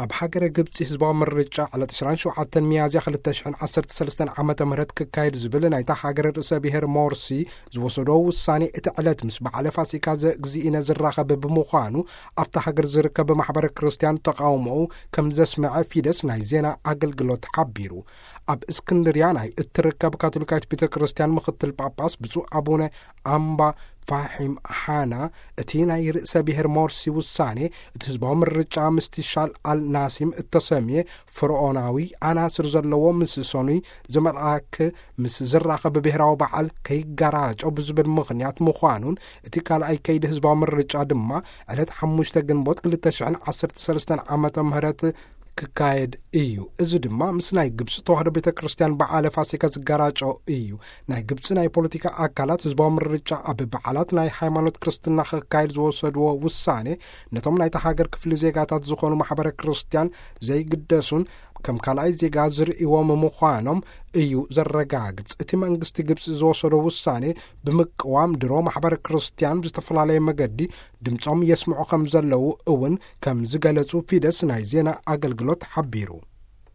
ኣብ ሃገረ ግብጺ ህዝባዊ ምርጫ ዕለት ዕስራን ሸውዓተን ሚያዝያ ክልተ ሽሕን ዓሰርተ ሰለስተን ዓመተ ምህረት ክካየድ ዝብል ናይታ ሃገረ ርእሰ ብሔር ሞርሲ ዝወሰዶ ውሳኔ፣ እቲ ዕለት ምስ በዓለ ፋሲካ ዘእግዚእነ ዝራኸብ ብምዃኑ፣ ኣብታ ሃገር ዝርከብ ማሕበረ ክርስቲያን ተቃውሞኡ ከም ዘስመዐ ፊደስ ናይ ዜና ኣገልግሎት ሓቢሩ። ኣብ እስክንድርያ ናይ እትርከብ ካቶሊካዊት ቤተ ክርስቲያን ምኽትል ጳጳስ ብፁዕ ኣቡነ ኣምባ ፋሒም ሓና፣ እቲ ናይ ርእሰ ብሔር ሞርሲ ውሳኔ፣ እቲ ህዝባዊ ምርጫ ምስቲ ሻል ኣል ናሲም እተሰምየ ፍርዖናዊ ኣናስር ዘለዎ ምስ ሰኑይ ዝመልኣክ ምስ ዝራኸብ ብብሔራዊ በዓል ከይጋራጮ ብዝብል ምኽንያት ምዃኑን፣ እቲ ካልኣይ ከይዲ ህዝባዊ ምርጫ ድማ ዕለት ሓሙሽተ ግንቦት ክልተ ሽሕን ዓሰርተ ሰለስተን ዓመተ ምህረት ክካየድ እዩ። እዚ ድማ ምስ ናይ ግብፂ ተዋህዶ ቤተ ክርስቲያን በዓለ ፋሲካ ዝጋራጮ እዩ። ናይ ግብፂ ናይ ፖለቲካ ኣካላት ህዝባዊ ምርጫ ኣብ በዓላት ናይ ሃይማኖት ክርስትና ክካየድ ዝወሰድዎ ውሳኔ፣ ነቶም ናይታ ሃገር ክፍሊ ዜጋታት ዝኾኑ ማሕበረ ክርስቲያን ዘይግደሱን ከም ካልኣይ ዜጋ ዝርእይዎም ምዃኖም እዩ ዘረጋግጽ። እቲ መንግስቲ ግብፂ ዝወሰዶ ውሳኔ ብምቅዋም፣ ድሮ ማሕበረ ክርስቲያን ብዝተፈላለየ መገዲ ድምፆም የስምዑ ከም ዘለዉ እውን ከም ዝገለጹ ፊደስ ናይ ዜና ኣገልግሎት ሓቢሩ።